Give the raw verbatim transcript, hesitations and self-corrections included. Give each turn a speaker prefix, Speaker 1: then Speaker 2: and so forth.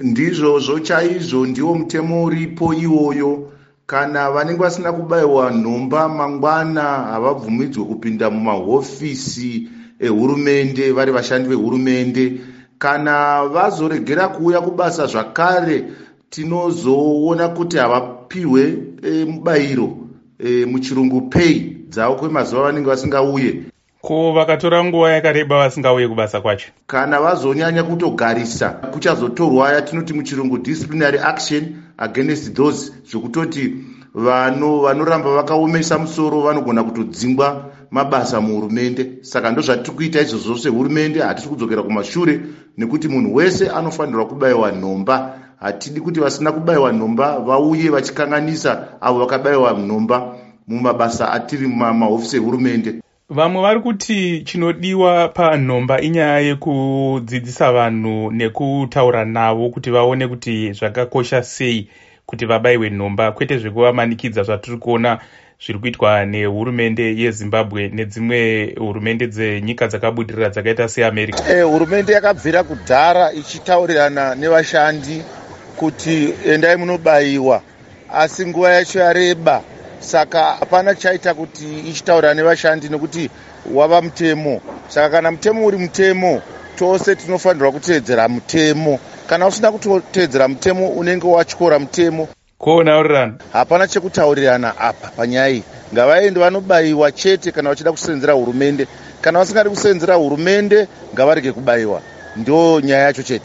Speaker 1: Ndizvozvo chaizvo, ndiwo mutemo uripo iwoyo. Kana vanenge vasina kubayiwa nhomba, mangwana havabvumidzwe kupinda mumahofisi ehurumende vari vashandi vehurumende. Kana vazoregera kuuya kubasa zvakare, tinozoona kuti havapiwe e, mubayiro, e, muchirungu pay dzavo, kwemazuva vanenge vasingauye.
Speaker 2: Ko vakatora nguva yakareba vasingauye kubasa kwacho?
Speaker 1: Kana vazonyanya kutogarisa, kuchazotorwa yatinoti muchirungu disciplinary action against those, zvekutoti vanoramba vakaomesa musoro vanogona kutodzingwa mabasa muhurumende. Saka ndozvatiri kuita izvozvo sehurumende. Hatisi kudzokera kumashure nekuti munhu wese anofanirwa kubayiwa nhomba. Hatidi kuti vasina kubayiwa nhomba vauye vachikanganisa avo vakabayiwa nhomba mumabasa atiri mumahofisi ehurumende.
Speaker 2: Vamwe vari kuti chinodiwa panhomba inyaya yekudzidzisa vanhu nekutaura navo kuti vaone kuti zvakakosha sei kuti vabayiwe nhomba, kwete zvekuvamanikidza zvatiri kuona zviri kuitwa nehurumende yeZimbabwe nedzimwe hurumende dzenyika dzakabudirira dzakaita seAmerica.
Speaker 3: E, hurumende yakabvira kudhara ichitaurirana nevashandi kuti endai munobayiwa, asi nguva yacho yareba, saka hapana chaita kuti ichitaurira nevashandi nekuti wava mutemo. Saka kana mutemo uri mutemo, tose tinofanirwa kuteedzera mutemo. Kana usina kuteedzera mutemo, unenge watyora mutemo.
Speaker 2: Ko nhaurirano?
Speaker 3: Hapana chekutaurirana apa panyaya iyi. Ngavaende vanobayiwa chete kana vachida kusenzera hurumende. Kana vasingadi kusenzera hurumende, ngavarege kubayiwa. Ndo nyaya yacho chete.